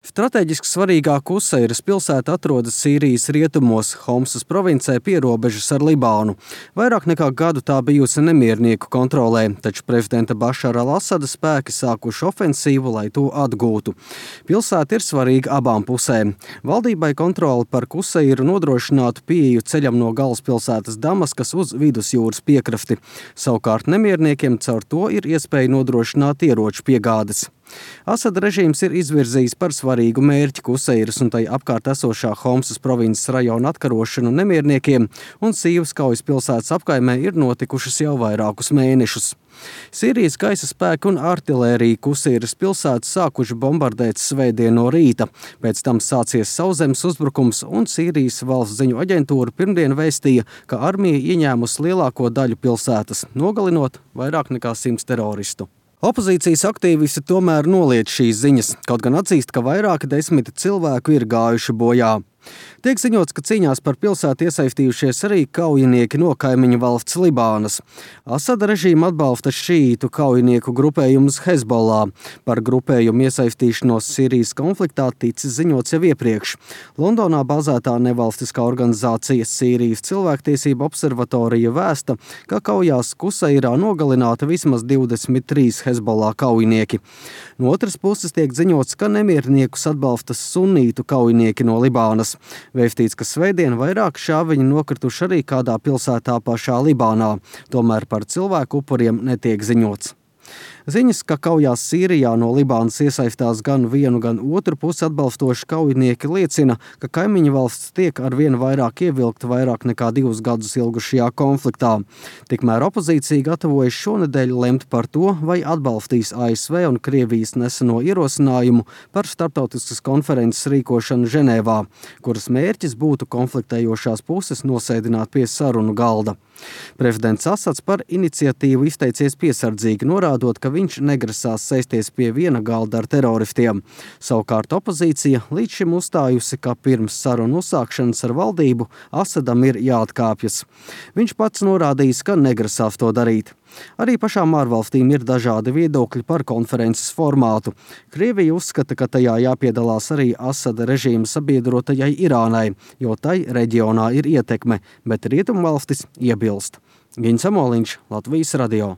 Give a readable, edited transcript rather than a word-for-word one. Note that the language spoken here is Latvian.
Strateģiski svarīgā Kuseiras pilsēta atrodas Sīrijas rietumos, Homsas provincē pie robežas ar Libānu. Vairāk nekā gadu tā bijusi nemiernieku kontrolē, taču prezidenta Bašara al-Asada spēki sākuši ofensīvu, lai to atgūtu. Pilsēta ir svarīga abām pusēm. Valdībai kontroli par Kuseiru nodrošinātu pieeju ceļam no galvaspilsētas Damaskas uz vidusjūras piekrasti. Savukārt nemierniekiem caur to ir iespēja nodrošināt ieroču piegādes. Asada režīms ir izvirzījis par svarīgu mērķi Kuseiras un tai apkārt esošā Homsas provinces rajona atkarošanu nemierniekiem, un Sīvas kaujas pilsētas apkaimē ir notikušas jau vairākus mēnešus. Sīrijas gaisa spēki un artilērija Kuseiras pilsētu sākuši bombardēt svētdien no rīta. Pēc tam sācies sauszemes uzbrukums, un Sīrijas valsts ziņu aģentūra pirmdien vēstīja, ka armija ieņēmusi lielāko daļu pilsētas, nogalinot vairāk nekā 100 teroristu. Opozīcijas aktīvisti tomēr noliedz šīs ziņas, kaut gan atzīst, ka vairāki desmiti cilvēku ir gājuši bojā. Tiek ziņots, ka cīņās par pilsētu iesaistījušies arī kaujinieki no kaimiņu valsts Libānas. Asada režīma atbalsta šīītu kaujinieku grupējumus Hezbollah. Par grupējumu iesaistīšanos Sīrijas konfliktā ticis ziņots jau iepriekš. Londonā bazētā nevalstiskā organizācija Sīrijas cilvēktiesību observatorija vēsta, ka kaujās Kuseirā nogalināta vismaz 23 Hezbollah kaujinieki. No otras puses tiek ziņots, ka nemierniekus atbalsta sunītu kaujinieki no Libānas. Vēstīts, ka svētdien vairāk šāviņi nokrituši arī kādā pilsētā pašā Libānā, tomēr par cilvēku upuriem netiek ziņots. Ziņas, ka kaujās Sīrijā no Libānas iesaistās gan vienu, gan otru pusi atbalstoši kaujinieki liecina, ka kaimiņu valsts tiek arvien vairāk ievilkta vairāk nekā 2 gadus ilgušajā konfliktā. Tikmēr opozīcija gatavojas šonedēļ lemt par to, vai atbalstīs ASV un Krievijas neseno ierosinājumu par starptautiskas konferences rīkošanu Ženēvā, kuras mērķis būtu konfliktējošās puses nosēdināt pie sarunu galda. Prezidents Asads par iniciatīvu izteicies piesardzīgi, norādot, ka viņš negrasās sēsties pie viena galda ar teroristiem. Savukārt opozīcija līdz šim uzstājusi, ka pirms sarunu uzsākšanas ar valdību Asadam ir jāatkāpjas. Viņš pats norādījis, ka negrasās to darīt. Arī pašām ārvalstīm ir dažādi viedokļi par konferences formātu. Krievija uzskata, ka tajā jāpiedalās arī Asada režīma sabiedrotajai Irānai, jo tai reģionā ir ietekme, bet rietumvalstis iebilst. Giņš Samoliņš, Latvijas radio.